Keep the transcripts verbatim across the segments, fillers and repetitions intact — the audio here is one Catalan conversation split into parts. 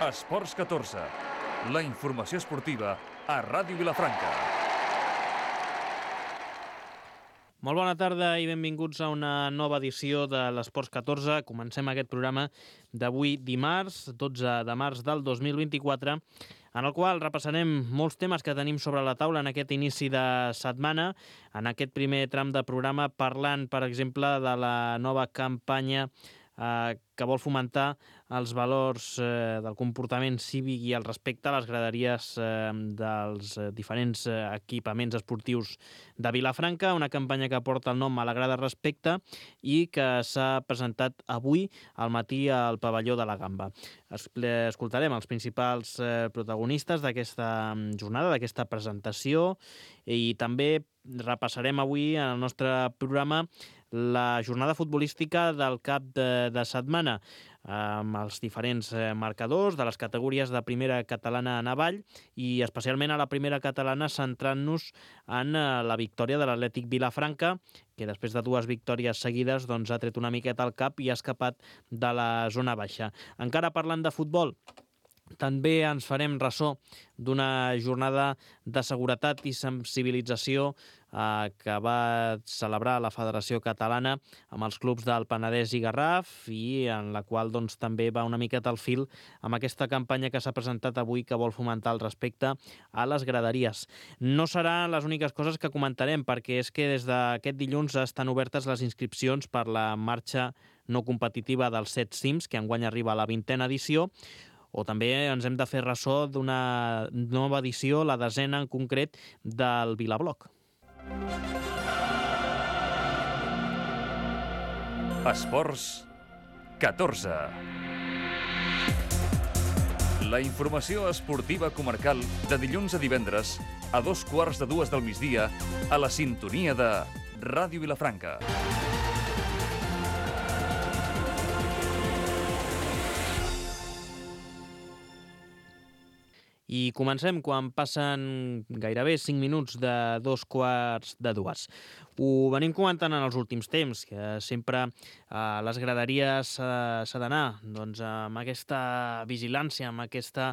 Esports catorze, la informació esportiva a Ràdio Vilafranca. Molt bona tarda i benvinguts a una nova edició de l'Esports catorze. Comencem aquest programa d'avui dimarts, dotze de març del dos mil vint-i-quatre, en el qual repassarem molts temes que tenim sobre la taula en aquest inici de setmana. En aquest primer tram de programa parlant, per exemple, de la nova campanya eh, que vol fomentar els valors eh, del comportament cívic i el respecte a les graderies eh, dels eh, diferents eh, equipaments esportius de Vilafranca, una campanya que porta el nom a la grada respecte i que s'ha presentat avui al matí al pavelló de la Gamba. Escoltarem els principals eh, protagonistes d'aquesta jornada, d'aquesta presentació, i també repassarem avui en el nostre programa la jornada futbolística del cap de, de setmana, amb els diferents marcadors de les categories de primera catalana en avall i especialment a la primera catalana, centrant-nos en la victòria de l'Atlètic Vilafranca, que després de dues victòries seguides doncs, ha tret una miqueta al cap i ha escapat de la zona baixa. Encara parlant de futbol, també ens farem ressò d'una jornada de seguretat i sensibilització eh, que va celebrar la Federació Catalana amb els clubs del Penedès i Garraf, i en la qual doncs, també va una miqueta al fil amb aquesta campanya que s'ha presentat avui que vol fomentar el respecte a les graderies. No seran les úniques coses que comentarem, perquè és que des d'aquest dilluns estan obertes les inscripcions per la marxa no competitiva dels set cims, que enguany arriba a la vintena edició, o també ens hem de fer ressò d'una nova edició, la desena en concret, del Vilabloc. Esports catorze. La informació esportiva comarcal de dilluns a divendres a dos quarts de dues del migdia a la sintonia de Ràdio Vilafranca. I comencem quan passen gairebé cinc minuts de dos quarts de dues. Ho venim comentant en els últims temps, que sempre a les graderies eh, s'ha d'anar doncs, amb aquesta vigilància, amb, aquesta,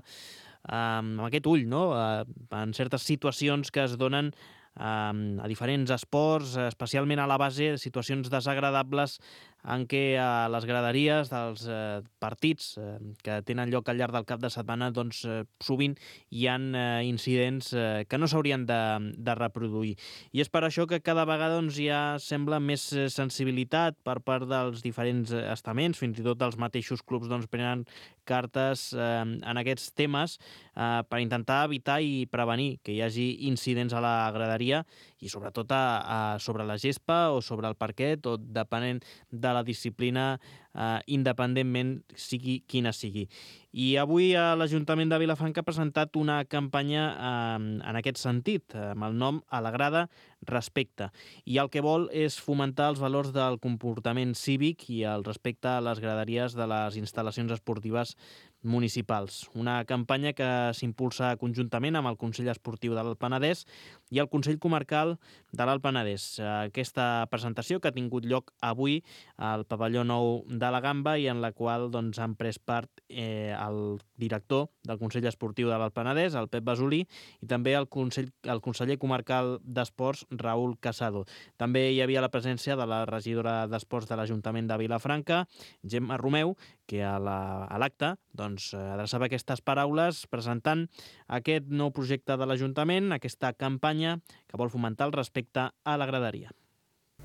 eh, amb aquest ull, no? eh, en certes situacions que es donen eh, a diferents esports, especialment a la base, situacions desagradables en què a les graderies dels eh, partits eh, que tenen lloc al llarg del cap de setmana doncs, eh, sovint hi ha eh, incidents eh, que no s'haurien de, de reproduir. I és per això que cada vegada doncs, hi ha, sembla, més sensibilitat per part dels diferents estaments, fins i tot els mateixos clubs doncs, prenen cartes eh, en aquests temes eh, per intentar evitar i prevenir que hi hagi incidents a la graderia i sobretot a, a, sobre la gespa o sobre el parquet o depenent de de la disciplina eh, independentment sigui quina sigui. I avui eh, l'Ajuntament de Vilafranca ha presentat una campanya eh, en aquest sentit, eh, amb el nom A la grada respecte. I el que vol és fomentar els valors del comportament cívic i el respecte a les graderies de les instal·lacions esportives municipals. Una campanya que s'impulsa conjuntament amb el Consell Esportiu de l'Alt Penedès i el Consell Comarcal de l'Alt Penedès. Aquesta presentació que ha tingut lloc avui al pavelló nou de la Gamba i en la qual doncs, han pres part eh, el director del Consell Esportiu de l'Alt Penedès, el Pep Basolí, i també el, Consell, el conseller comarcal d'Esports, Raül Casado. També hi havia la presència de la regidora d'Esports de l'Ajuntament de Vilafranca, Gemma Romeu, que a l'acte doncs, adreçava aquestes paraules presentant aquest nou projecte de l'Ajuntament, aquesta campanya que vol fomentar el respecte a la graderia.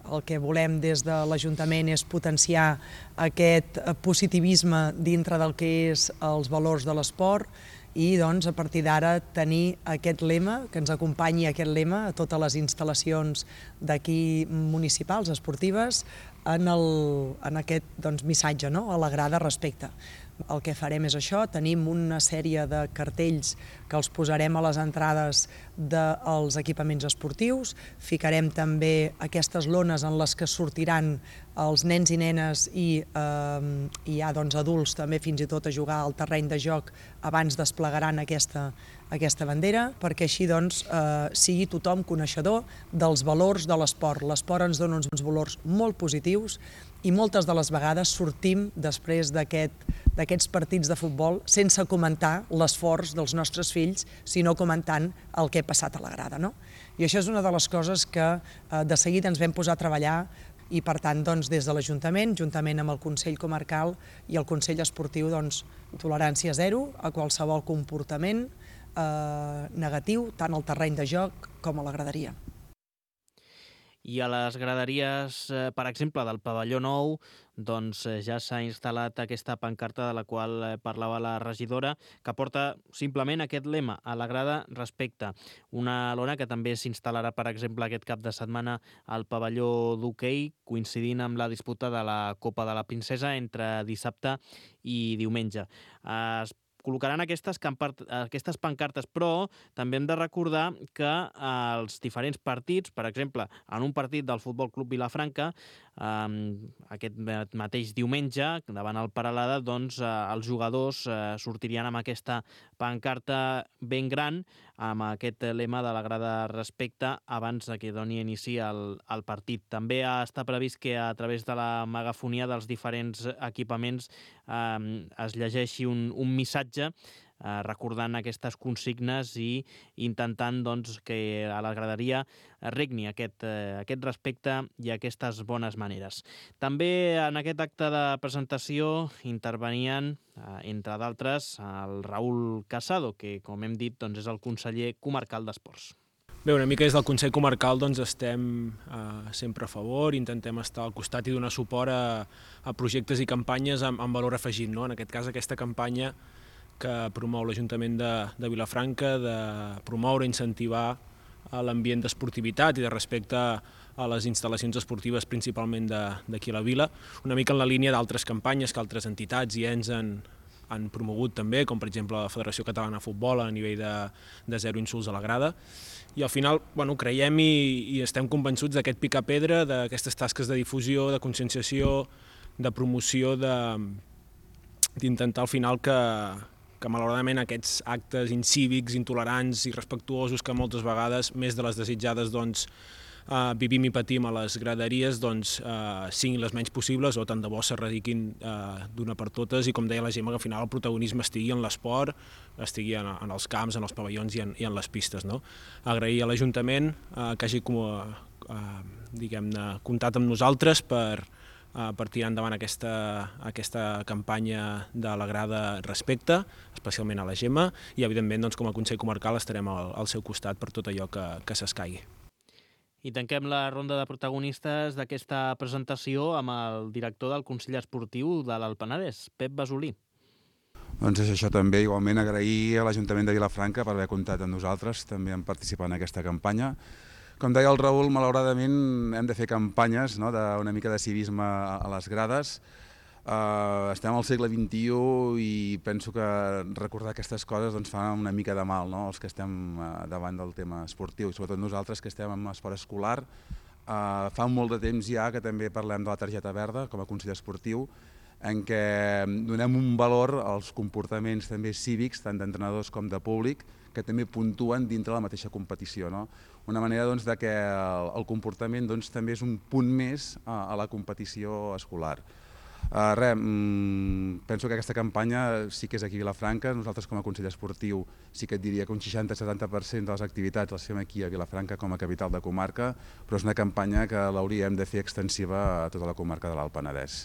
El que volem des de l'Ajuntament és potenciar aquest positivisme dintre del que és els valors de l'esport i doncs, a partir d'ara tenir aquest lema, que ens acompanyi aquest lema a totes les instal·lacions d'aquí municipals, esportives, en, el, en aquest doncs, missatge, no? A la grada respecte. El que farem és això, tenim una sèrie de cartells que els posarem a les entrades dels equipaments esportius, ficarem també aquestes lones en les que sortiran els nens i nenes i eh, hi ha doncs, adults també fins i tot a jugar al terreny de joc abans desplegaran aquesta, aquesta bandera, perquè així doncs, eh, sigui tothom coneixedor dels valors de l'esport. L'esport ens dona uns valors molt positius i moltes de les vegades sortim després d'aquests partits de futbol sense comentar l'esforç dels nostres fills, sinó comentant el que ha passat a la grada. No? I això és una de les coses que de seguida ens vam posar a treballar i, per tant, doncs, des de l'Ajuntament, juntament amb el Consell Comarcal i el Consell Esportiu, doncs, tolerància zero a qualsevol comportament eh, negatiu, tant al terreny de joc com a la graderia. I a les graderies, per exemple, del pavelló nou, doncs ja s'ha instal·lat aquesta pancarta de la qual parlava la regidora, que porta simplement aquest lema: a la grada respecte. Una lona que també s'instal·larà, per exemple, aquest cap de setmana al pavelló d'hoquei, coincidint amb la disputa de la Copa de la Princesa entre dissabte i diumenge. Es col·locaran aquestes, aquestes pancartes, però també hem de recordar que els diferents partits, per exemple, en un partit del Futbol Club Vilafranca, eh, aquest mateix diumenge, davant el Peralada, doncs eh, els jugadors eh, sortirien amb aquesta pancarta ben gran, amb aquest lema de la grada respecte, abans que doni inici al, al partit. També està previst que a través de la megafonia dels diferents equipaments eh, es llegeixi un, un missatge Eh, recordant aquestes consignes i intentant doncs, que a la graderia regni aquest, eh, aquest respecte i aquestes bones maneres. També en aquest acte de presentació intervenien, eh, entre d'altres, el Raül Casado, que, com hem dit, doncs, és el conseller comarcal d'Esports. Bé, una mica des del Consell Comarcal doncs, estem eh, sempre a favor, intentem estar al costat i donar suport a, a projectes i campanyes amb, amb valor afegit. No? En aquest cas, aquesta campanya que promou l'Ajuntament de, de Vilafranca, de promoure i incentivar l'ambient d'esportivitat i de respecte a les instal·lacions esportives, principalment d'aquí a la vila, una mica en la línia d'altres campanyes que altres entitats i ens han, han promogut també, com per exemple la Federació Catalana de Futbol a nivell de, de zero insults a la grada. I al final bueno, creiem i, i estem convençuts d'aquest picar-pedra, d'aquestes tasques de difusió, de conscienciació, de promoció, d'intentar al final que que malauradament aquests actes incívics, intolerants i irrespectuosos que moltes vegades, més de les desitjades, doncs, eh, vivim i patim a les graderies, doncs, eh, siguin les menys possibles o tant de bo s'erradiquin eh, d'una per totes i, com deia la Gemma, que al final el protagonisme estigui en l'esport, estigui en, en els camps, en els pavellons i en, i en les pistes. No? Agrair a l'Ajuntament eh, que hagi com, eh, diguem-ne, comptat amb nosaltres per per tirar endavant aquesta, aquesta campanya de la grada respecte, especialment a la Gemma, i evidentment doncs, com a Consell Comarcal estarem al, al seu costat per tot allò que, que s'escaigui. I tanquem la ronda de protagonistes d'aquesta presentació amb el director del Consell Esportiu de l'Alt Penedès, Pep Basolí. Doncs és això també, igualment agrair a l'Ajuntament de Vilafranca per haver comptat amb nosaltres, també en participar en aquesta campanya. Com deia el Raül, malauradament hem de fer campanyes, no?, d'una mica de civisme a les grades. Uh, estem al segle vint-i-u i penso que recordar aquestes coses doncs, fa una mica de mal, no?, els que estem uh, davant del tema esportiu, i sobretot nosaltres que estem en esport escolar. Uh, fa molt de temps ja que també parlem de la targeta verda com a Consell Esportiu, en què donem un valor als comportaments també cívics, tant d'entrenadors com de públic, que també puntuen dintre la mateixa competició. No? Una manera doncs, de que el, el comportament doncs, també és un punt més a, a la competició escolar. Uh, res, mm, penso que aquesta campanya sí que és aquí a Vilafranca. Nosaltres com a Consell Esportiu sí que et diria que un seixanta a setanta per cent de les activitats les fem aquí a Vilafranca com a capital de comarca, però és una campanya que l'hauríem de fer extensiva a tota la comarca de l'Alt Penedès.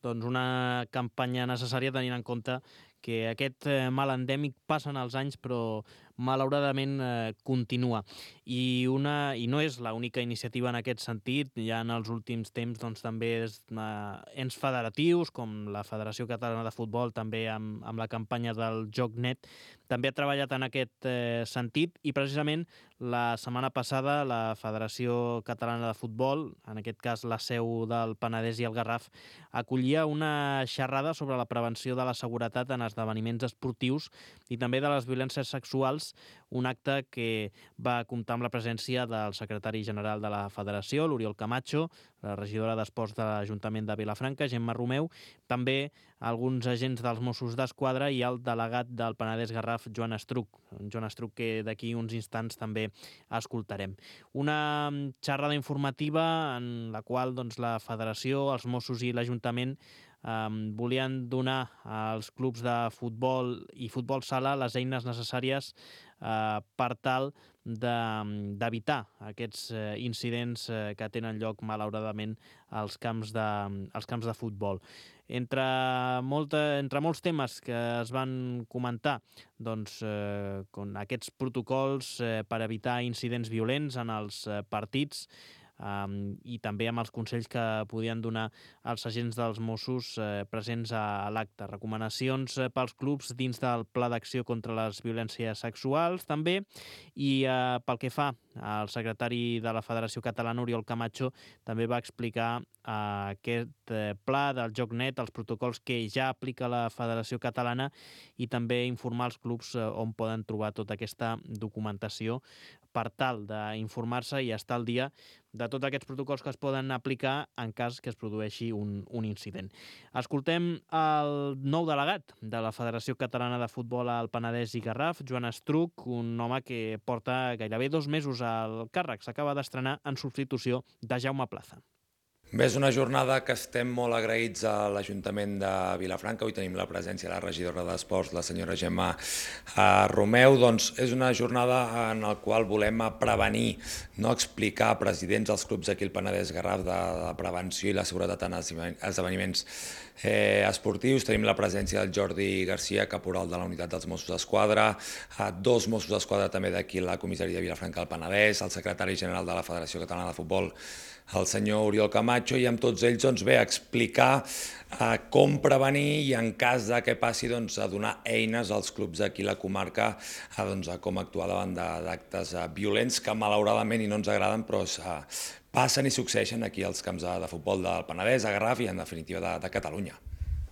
Doncs una campanya necessària tenint en compte que aquest mal endèmic passen els anys però malauradament eh, continua. I, una, I no és l'única iniciativa en aquest sentit. Ja en els últims temps doncs, també és, eh, ens federatius, com la Federació Catalana de Futbol, també amb, amb la campanya del Joc Net, també ha treballat en aquest eh, sentit i precisament la setmana passada la Federació Catalana de Futbol, en aquest cas la seu del Penedès i el Garraf, acollia una xerrada sobre la prevenció de la seguretat en esdeveniments esdeveniments esportius i també de les violències sexuals, un acte que va comptar amb la presència del secretari general de la Federació, l'Oriol Camacho, la regidora d'Esports de l'Ajuntament de Vilafranca, Gemma Romeu, també alguns agents dels Mossos d'Esquadra i el delegat del Penedès Garraf, Joan Estruc. Joan Estruc, que d'aquí uns instants també escoltarem. Una xerrada informativa en la qual doncs, la Federació, els Mossos i l'Ajuntament eh, volien donar als clubs de futbol i futbol sala les eines necessàries eh, per tal d'evitar aquests eh, incidents eh, que tenen lloc, malauradament, als camps de, als camps de futbol. Entre, molta, entre molts temes que es van comentar, doncs, eh, con aquests protocols eh, per evitar incidents violents en els eh, partits, Um, i també amb els consells que podien donar els agents dels Mossos eh, presents a, a l'acte. Recomanacions eh, pels clubs dins del Pla d'Acció contra les Violències Sexuals, també, i eh, pel que fa al secretari de la Federació Catalana, Oriol Camacho, també va explicar eh, aquest eh, pla del joc net, els protocols que ja aplica la Federació Catalana i també informar els clubs eh, on poden trobar tota aquesta documentació per tal d'informar-se i estar al dia de tots aquests protocols que es poden aplicar en cas que es produeixi un, un incident. Escoltem el nou delegat de la Federació Catalana de Futbol al Penedès i Garraf, Joan Estruc, un home que porta gairebé dos mesos al càrrec. S'acaba d'estrenar en substitució de Jaume Plaza. Bé, és una jornada que estem molt agraïts a l'Ajuntament de Vilafranca. Avui tenim la presència de la regidora d'Esports, la senyora Gemma Romeu. Doncs és una jornada en la qual volem prevenir, no explicar a presidents dels clubs aquí al Penedès Garraf de la prevenció i la seguretat en esdeveniments eh, esportius. Tenim la presència del Jordi Garcia, caporal de la unitat dels Mossos d'Esquadra, dos Mossos d'Esquadra també d'aquí a la comissaria de Vilafranca del Penedès, el secretari general de la Federació Catalana de Futbol, el senyor Oriol Camacho, i amb tots ells doncs, bé, explicar eh, com prevenir i en cas de que passi doncs, a donar eines als clubs d'aquí a la comarca a, doncs, a com actuar davant d'actes eh, violents que malauradament i no ens agraden però eh, passen i succeeixen aquí als camps de, de futbol del Penedès, a Garraf i en definitiva de, de Catalunya.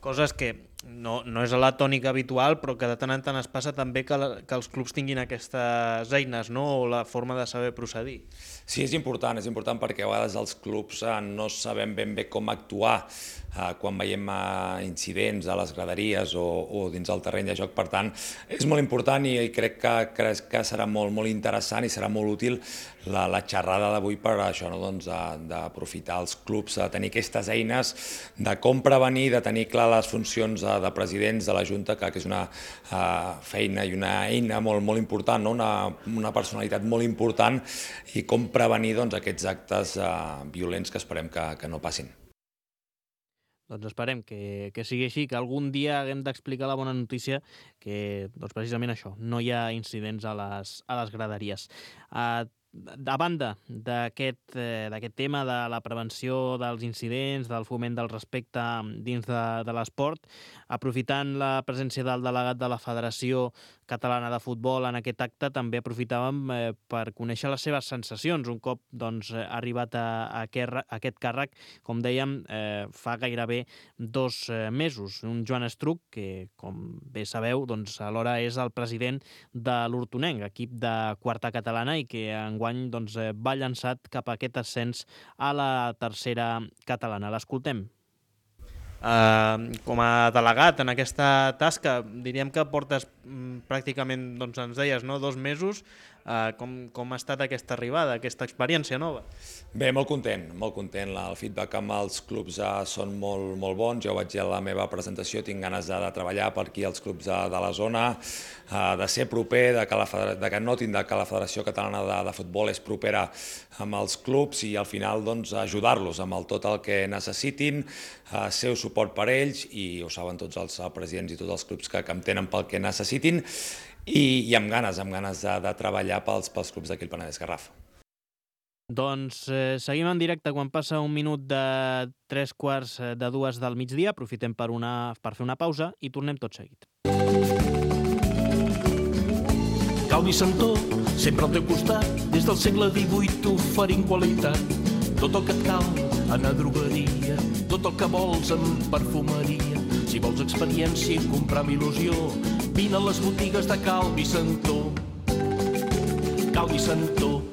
Coses que no, no és la tònica habitual, però que de tant en tant es passa també que, la, que els clubs tinguin aquestes eines, no? O la forma de saber procedir. Sí, és important, és important perquè a vegades els clubs eh, no sabem ben bé com actuar eh, quan veiem eh, incidents a les graderies o, o dins el terreny de joc. Per tant, és molt important i, i crec que, crec que serà molt, molt interessant i serà molt útil la, la xerrada d'avui per això, no? Doncs, d'aprofitar els clubs, de tenir aquestes eines de com prevenir, de tenir clar les funcions de, de presidents de la Junta, que, que és una uh, feina i una eina molt, molt important, no? una, una personalitat molt important, i com prevenir doncs, aquests actes uh, violents que esperem que, que no passin. Doncs esperem que, que sigui així, que algun dia haguem d'explicar la bona notícia que doncs precisament això, no hi ha incidents a les, a les graderies. Uh, A banda d'aquest eh, d'aquest tema de la prevenció dels incidents, del foment del respecte dins de, de l'esport, aprofitant la presència del delegat de la Federació Catalana de Futbol en aquest acte, també aprofitàvem eh, per conèixer les seves sensacions. Un cop doncs, ha arribat a, a, aquest, a aquest càrrec, com dèiem, eh, fa gairebé dos eh, mesos. Un Joan Estruc, que com bé sabeu, doncs, alhora és el president de l'Hortonenc, equip de quarta catalana, i que enguany doncs, va llançat cap a aquest ascens a la tercera catalana. L'escoltem. Uh, com a delegat en aquesta tasca, diríem que portes mm, pràcticament, doncs ens deies, no? dos mesos. Uh, com, com ha estat aquesta arribada, aquesta experiència nova? Bé, molt content, molt content. El feedback amb els clubs uh, són molt, molt bons. Jo vaig dir a la meva presentació, tinc ganes de, de treballar per aquí als clubs de, de la zona, uh, de ser proper, de que, la, de que notin que la Federació Catalana de, de Futbol és propera amb els clubs i al final doncs, ajudar-los amb el, tot el que necessitin, uh, ser suport per ells, i ho saben tots els presidents i tots els clubs que, que em tenen pel que necessitin, i, i amb ganes, amb ganes de, de treballar pels, pels clubs d'aquí al Penedès Garraf. Doncs eh, seguim en directe quan passa un minut de tres quarts de dues del migdia. Aprofitem per, una, per fer una pausa i tornem tot seguit. Calvi Santó, sempre al teu costat, des del segle divuit oferint qualitat. Tot el que et cal, anar a drogueria, tot tot el que vols en perfumeria. Si vols experiència i comprar amb il·lusió, vine a les botigues de Cal Vicentó. Cal Vicentó.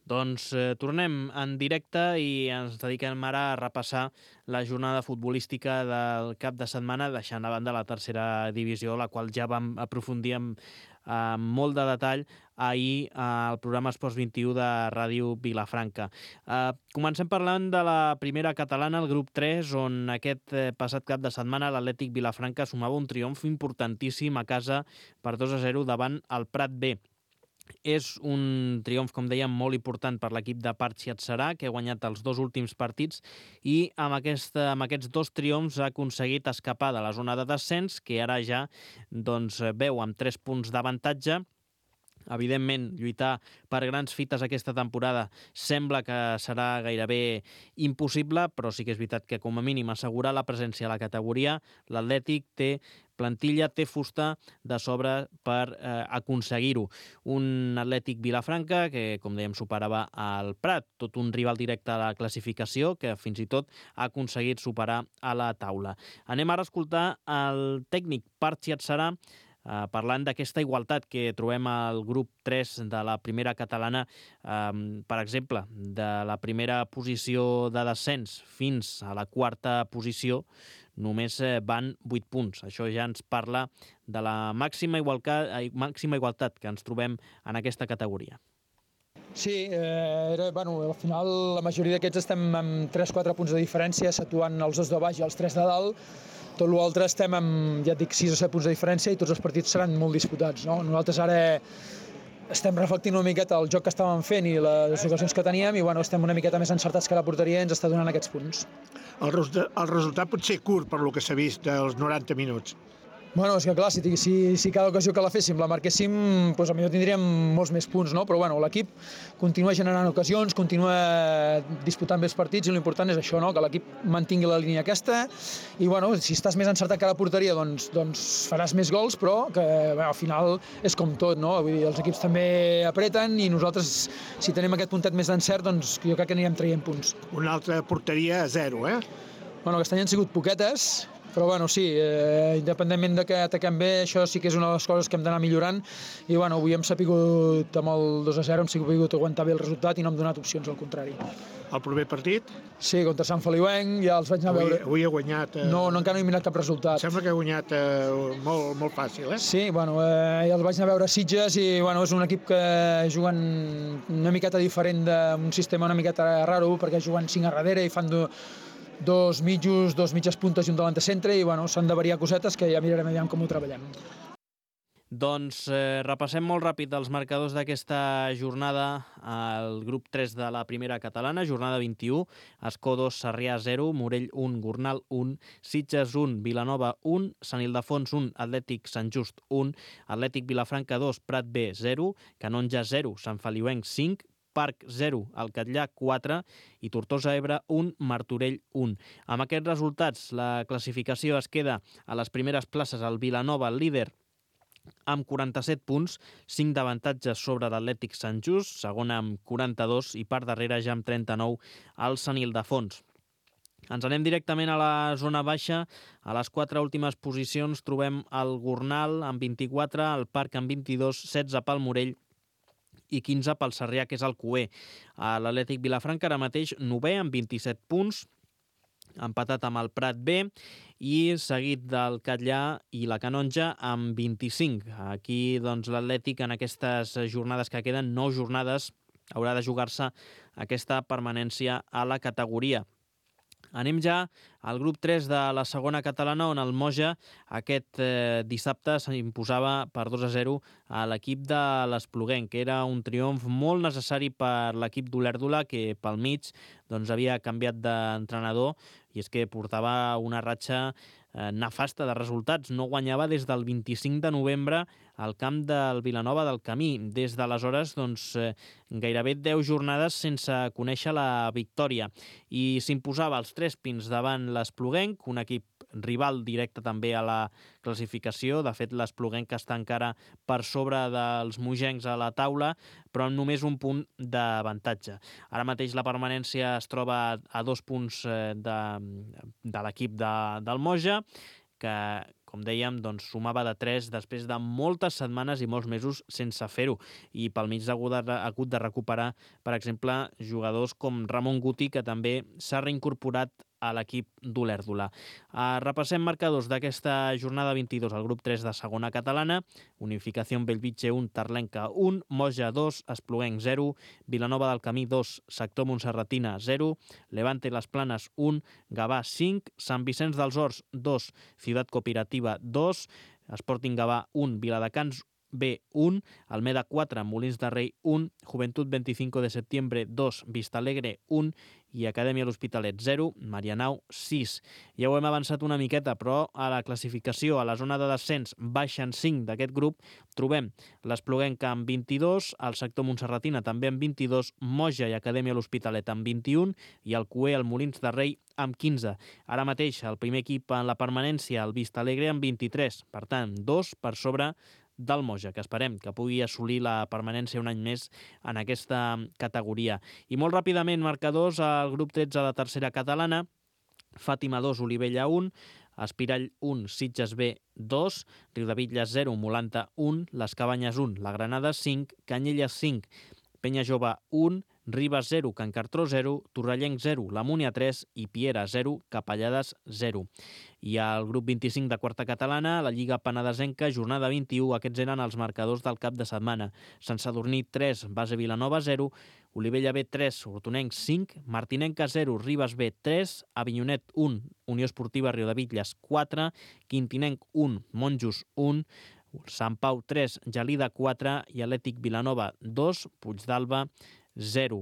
Doncs eh, tornem en directe i ens dediquem ara a repassar la jornada futbolística del cap de setmana, deixant a banda la tercera divisió, la qual ja vam aprofundir amb, amb molt de detall ahir al programa Esports vint-i-u de Ràdio Vilafranca. Eh, comencem parlant de la primera catalana, el grup tres, on aquest eh, passat cap de setmana l'Atlètic Vilafranca sumava un triomf importantíssim a casa per dos a zero davant el Prat B. És un triomf, com dèiem, molt important per l'equip de Parchi Atzarà, que ha guanyat els dos últims partits i amb, aquesta, amb aquests dos triomfs ha aconseguit escapar de la zona de descens, que ara ja doncs, veu amb tres punts d'avantatge. Evidentment, lluitar per grans fites aquesta temporada sembla que serà gairebé impossible, però sí que és veritat que com a mínim assegurar la presència a la categoria, l'Atlètic té plantilla, té fusta de sobre per eh, aconseguir-ho. Un Atlètic Vilafranca que, com dèiem, superava el Prat, tot un rival directe a la classificació que fins i tot ha aconseguit superar a la taula. Anem ara a escoltar el tècnic Parchi Atzarà Uh, parlant d'aquesta igualtat que trobem al grup tres de la primera catalana, um, per exemple, de la primera posició de descens fins a la quarta posició, només eh, van vuit punts. Això ja ens parla de la màxima igualtat, eh, màxima igualtat que ens trobem en aquesta categoria. Sí, eh, era, bueno, al final la majoria d'aquests estem amb tres quatre punts de diferència, situant els dos de baix i els tres de dalt. Tot l'altre estem amb, ja et dic, sis o set punts de diferència i tots els partits seran molt disputats, no? Nosaltres ara estem reflectint una miqueta el joc que estàvem fent i les ocasions que teníem i bueno, estem una miqueta més encertats que la porteria i ens està donant aquests punts. El, el resultat pot ser curt per lo que s'ha vist dels noranta minuts. Bueno, és que clar, si, si, si cada ocasió que la féssim la marquéssim, doncs potser tindríem molts més punts, no? Però bueno, l'equip continua generant ocasions, continua disputant bé els partits i l'important és això, no? Que l'equip mantingui la línia aquesta i bueno, si estàs més encertat que la porteria doncs, doncs faràs més gols, però que bueno, al final és com tot, no? Vull dir, els equips també apreten i nosaltres, si tenim aquest puntet més d'encert, doncs jo crec que anirem traient punts. Una altra porteria a zero, eh? Bueno, aquest any han sigut poquetes, però bueno, sí, eh, independentment de que ataquem bé, això sí que és una de les coses que hem d'anar millorant i bueno, avui hem sapigut amb el dos a zero, hem sapigut aguantar bé el resultat i no hem donat opcions, al contrari. El proper partit? Sí, contra Sant Feliuenc, ja els vaig anar a veure. Avui, avui ha guanyat... Eh... No, no, encara no he mirat cap resultat. Sembla que ha guanyat eh, molt, molt fàcil, eh? Sí, bueno, eh, ja els vaig anar a veure a Sitges i bueno, és un equip que juguen una miqueta diferent d'un sistema una miqueta raro, perquè juguen cinc a darrere i fan do, dos mitjos, dos mitges puntes i un davant de centre i bueno, s'han de variar cosetes que ja mirarem aviam com ho treballem. Doncs eh, repassem molt ràpid els marcadors d'aquesta jornada al grup tres de la primera catalana, jornada vint-i-u, Escó dos, Sarrià zero, Morell un, Gornal un, Sitges un, Vilanova un, Sant Ildefons un, Atlètic Sant Just un, Atlètic Vilafranca dos, Prat B zero, Canonja zero, Sant Feliuenc cinc, Parc zero, el Catllà quatre i Tortosa Ebre un, Martorell un. Amb aquests resultats, la classificació es queda a les primeres places al Vilanova, el líder, amb quaranta-set punts, cinc d'avantatges sobre l'Atlètic Sant Just, segona amb quaranta-dos i per darrere ja amb trenta-nou el Sant Ildefons. Ens anem directament a la zona baixa. A les quatre últimes posicions trobem el Gornal amb vint-i-quatre, el Parc amb vint-i-dos, setze pel Morell i quinze pel Sarrià, que és el cuer. L'Atlètic Vilafranca ara mateix novè amb vint-i-set punts, empatat amb el Prat B i seguit del Catllà i la Canonja amb vint-i-cinc. Aquí doncs, l'Atlètic en aquestes jornades que queden, nou jornades, haurà de jugar-se aquesta permanència a la categoria. Anem ja al grup tres de la segona catalana, on el Moja aquest eh, dissabte s'imposava per dos a zero a l'equip de l'Espluguenc, que era un triomf molt necessari per l'equip d'Olèrdola, que pel mig doncs, havia canviat d'entrenador i és que portava una ratxa eh, nefasta de resultats. No guanyava des del vint-i-cinc de novembre al camp del Vilanova del Camí. Des d'aleshores, doncs, eh, gairebé deu jornades sense conèixer la victòria. I s'imposava els tres pins davant l'Espluguenc, un equip rival directe també a la classificació. De fet, l'Espluguenca està encara per sobre dels mogencs a la taula, però amb només un punt d'avantatge. Ara mateix la permanència es troba a dos punts de, de l'equip de, del Moja, que, com dèiem, doncs, sumava de tres després de moltes setmanes i molts mesos sense fer-ho. I pel mig ha hagut de recuperar, per exemple, jugadors com Ramon Guti, que també s'ha reincorporat a l'equip d'Olèrdola. Uh, repassem marcadors d'aquesta jornada vint-i-dos al grup tres de segona catalana. Unificació Bellvitge un, Tarlenca un, Moja dos, Espluguenc zero, Vilanova del Camí dos, Sector Montserratina zero, Levante Les Planes un, Gavà cinc, Sant Vicenç dels Horts dos, Ciutat Cooperativa dos, Sporting Gavà un, Viladecans B un, Almeda quatre, Molins de Rei un, Juventud veinticinco de septiembre dos, Vistalegre un i Acadèmia L'Hospitalet zero, Marianao sis. Ja ho hem avançat una miqueta, però a la classificació, a la zona de descens, baixen cinc d'aquest grup, trobem l'Espluguenca amb vint-i-dos, el sector Montserratina també amb vint-i-dos, Moja i Acadèmia L'Hospitalet amb vint-i-un i el Cué, el Molins de Rei, amb quinze. Ara mateix el primer equip en la permanència, el Vistalegre, amb vint-i-tres. Per tant, dos per sobre del Moja, que esperem que pugui assolir la permanència un any més en aquesta categoria. I molt ràpidament, marcadors al grup tretze de tercera catalana, Fàtima dos, Olivella un, Espirall un, Sitges B dos, Riudebitlles zero, Molanta un, Les Cabanyes un, La Granada cinc, Canyelles cinc, Penya Jove un, Ribes zero, Can Cartró zero, Torrellenc zero, La Múnia tres i Piera zero, Capellades zero. I al grup vint-i-cinc de quarta catalana, la Lliga Penedesenca, jornada vint-i-u, aquests eren els marcadors del cap de setmana. Sant Sadurní tres, Base Vilanova zero, Olivella B tres, Hortonenc cinc, Martinenca zero, Ribes B tres, Avinyonet un, Unió Esportiva Riudebitlles quatre, Quintinenc un, Monjos un, Sant Pau tres, Gelida quatre i Atlètic Vilanova dos, Puigdàlber zero.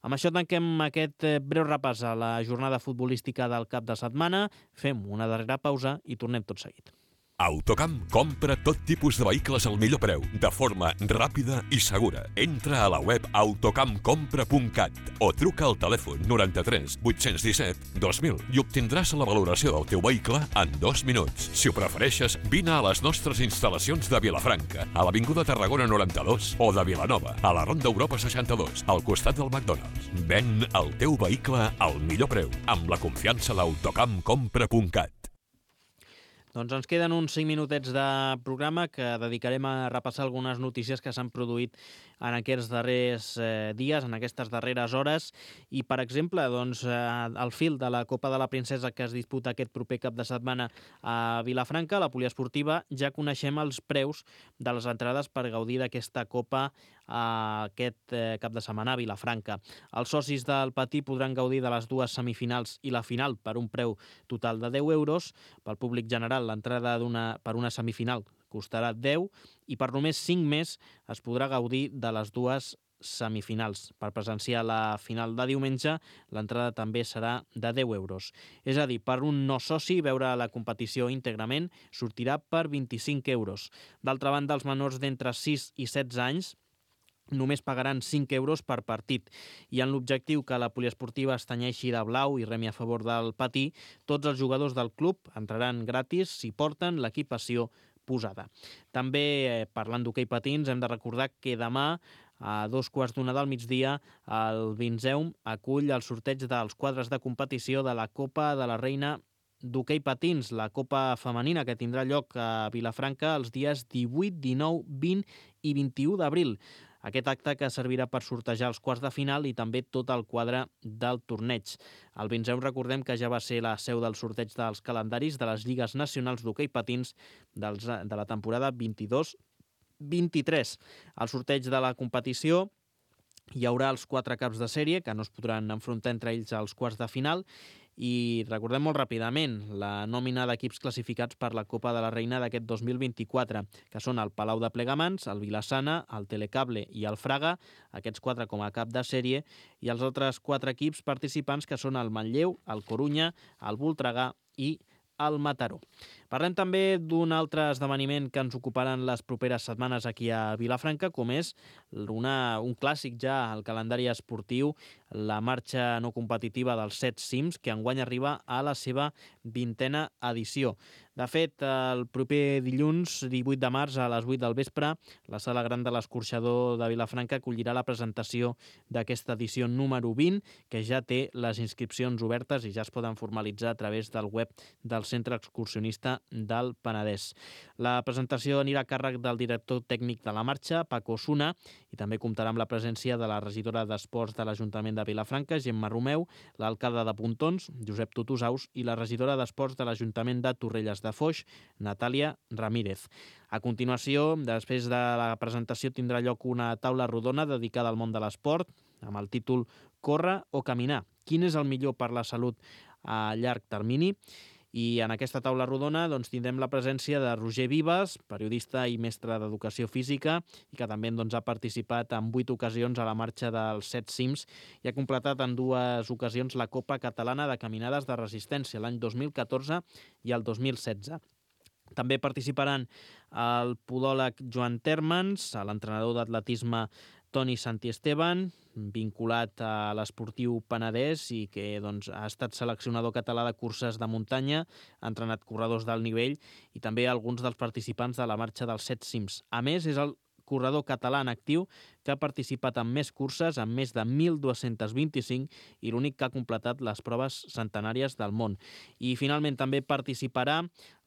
Amb això tanquem aquest breu repàs a la jornada futbolística del cap de setmana. Fem una darrera pausa i tornem tot seguit. Autocamp compra tot tipus de vehicles al millor preu, de forma ràpida i segura. Entra a la web autocamp compra punt cat o truca al telèfon noranta-tres vuit-cents disset dos mil i obtindràs la valoració del teu vehicle en dos minuts. Si ho prefereixes, vine a les nostres instal·lacions de Vilafranca, a l'Avinguda Tarragona noranta-dos o de Vilanova, a la Ronda Europa seixanta-dos, al costat del McDonald's. Ven el teu vehicle al millor preu, amb la confiança d'autocamp compra punt cat. Doncs ens queden uns cinc minutets de programa que dedicarem a repassar algunes notícies que s'han produït en aquests darrers eh, dies, en aquestes darreres hores. I, per exemple, doncs, eh, al fil de la Copa de la Princesa que es disputa aquest proper cap de setmana a Vilafranca, la poliesportiva, ja coneixem els preus de les entrades per gaudir d'aquesta Copa a aquest eh, cap de setmana a Vilafranca. Els socis del Patí podran gaudir de les dues semifinals i la final per un preu total de deu euros. Pel públic general, l'entrada d'una per una semifinal costarà deu i per només cinc més es podrà gaudir de les dues semifinals. Per presenciar la final de diumenge, l'entrada també serà de deu euros. És a dir, per un no soci, veure la competició íntegrament sortirà per vint-i-cinc euros. D'altra banda, els menors d'entre sis i setze anys només pagaran cinc euros per partit. I en l'objectiu que la poliesportiva es tenyeixi de blau i remi a favor del Patí, tots els jugadors del club entraran gratis si porten l'equipació posada. També, eh, parlant d'hoquei patins, hem de recordar que demà, a dos quarts d'una del migdia, el Vinzeum acull el sorteig dels quadres de competició de la Copa de la Reina d'hoquei patins, la Copa femenina, que tindrà lloc a Vilafranca els dies divuit, dinou, vint i vint-i-u d'abril. Aquest acte que servirà per sortejar els quarts de final i també tot el quadre del torneig. El Vinzeum, recordem que ja va ser la seu del sorteig dels calendaris de les lligues nacionals d'hoquei patins dels, de la temporada vint-i-dos vint-i-tres. Al sorteig de la competició hi haurà els quatre caps de sèrie que no es podran enfrontar entre ells als quarts de final. I recordem molt ràpidament la nòmina d'equips classificats per la Copa de la Reina d'aquest dos mil vint-i-quatre, que són el Palau de Plegamans, el Vilassana, el Telecable i el Fraga, aquests quatre com a cap de sèrie, i els altres quatre equips participants que són el Manlleu, el Corunya, el Voltregà i al Mataró. Parlem també d'un altre esdeveniment que ens ocuparan les properes setmanes aquí a Vilafranca, com és una, un clàssic ja al calendari esportiu, la marxa no competitiva dels set cims, que enguany arriba a la seva vintena edició. De fet, el proper dilluns, divuit de març, a les vuit del vespre, la Sala Gran de l'Escorxador de Vilafranca acollirà la presentació d'aquesta edició número vint, que ja té les inscripcions obertes i ja es poden formalitzar a través del web del Centre Excursionista del Penedès. La presentació anirà a càrrec del director tècnic de la marxa, Paco Osuna, i també comptarà amb la presència de la regidora d'Esports de l'Ajuntament de Vilafranca, Gemma Romeu, l'alcalde de Pontons, Josep Tutusaus, i la regidora d'Esports de l'Ajuntament de Torrelles de Foix, Natàlia Ramírez. A continuació, després de la presentació, tindrà lloc una taula rodona dedicada al món de l'esport, amb el títol Córrer o caminar? Quin és el millor per la salut a llarg termini? I en aquesta taula rodona doncs, tindrem la presència de Roger Vives, periodista i mestre d'Educació Física, i que també doncs, ha participat en vuit ocasions a la marxa dels set cims i ha completat en dues ocasions la Copa Catalana de Caminades de Resistència, l'any dos mil catorze i el dos mil setze. També participaran el podòleg Joan Térmens, l'entrenador d'atletisme Toni Santiesteban, vinculat a l'Esportiu Penedès i que doncs, ha estat seleccionador català de curses de muntanya, ha entrenat corredors d'alt nivell i també alguns dels participants de la marxa dels set cims. A més, és el corredor català en actiu que ha participat en més curses, amb més de mil dos-cents vint-i-cinc, i l'únic que ha completat les proves centenàries del món. I finalment també participarà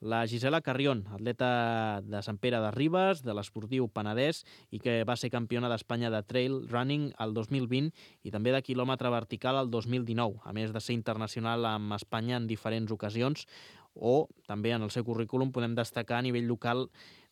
la Gisela Carrión, atleta de Sant Pere de Ribes, de l'Esportiu Penedès, i que va ser campiona d'Espanya de trail running el dos mil vint i també de quilòmetre vertical el dos mil dinou, a més de ser internacional amb Espanya en diferents ocasions, o també en el seu currículum podem destacar a nivell local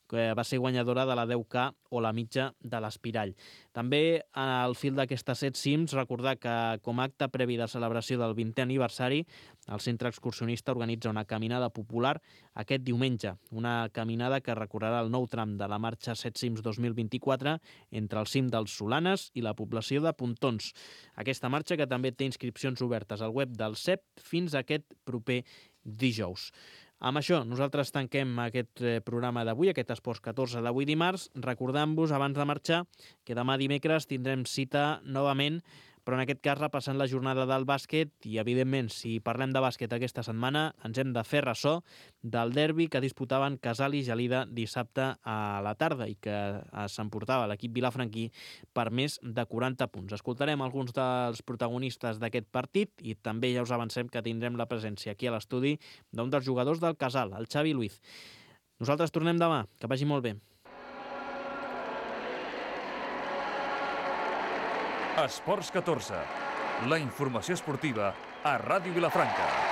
que va ser guanyadora de la deu K o la mitja de l'Espirall. També al fil d'aquestes set cims, recordar que com a acte previ de celebració del vintè aniversari, el Centre Excursionista organitza una caminada popular aquest diumenge, una caminada que recorrerà el nou tram de la marxa set cims dos mil vint-i-quatre entre el cim dels Solanes i la població de Pontons. Aquesta marxa que també té inscripcions obertes al web del C E P fins a aquest proper dijous. Amb això, nosaltres tanquem aquest programa d'avui, aquest Esports catorze d'avui dimarts, recordant-vos, abans de marxar, que demà dimecres tindrem cita novament, però en aquest cas repassant la jornada del bàsquet i, evidentment, si parlem de bàsquet aquesta setmana, ens hem de fer ressò del derbi que disputaven Casal i Gelida dissabte a la tarda i que s'emportava l'equip vilafranquí per més de quaranta punts. Escoltarem alguns dels protagonistes d'aquest partit i també ja us avancem que tindrem la presència aquí a l'estudi d'un dels jugadors del Casal, el Xavi Luiz. Nosaltres tornem demà. Que vagi molt bé. Esports catorze. La informació esportiva a Ràdio Vilafranca.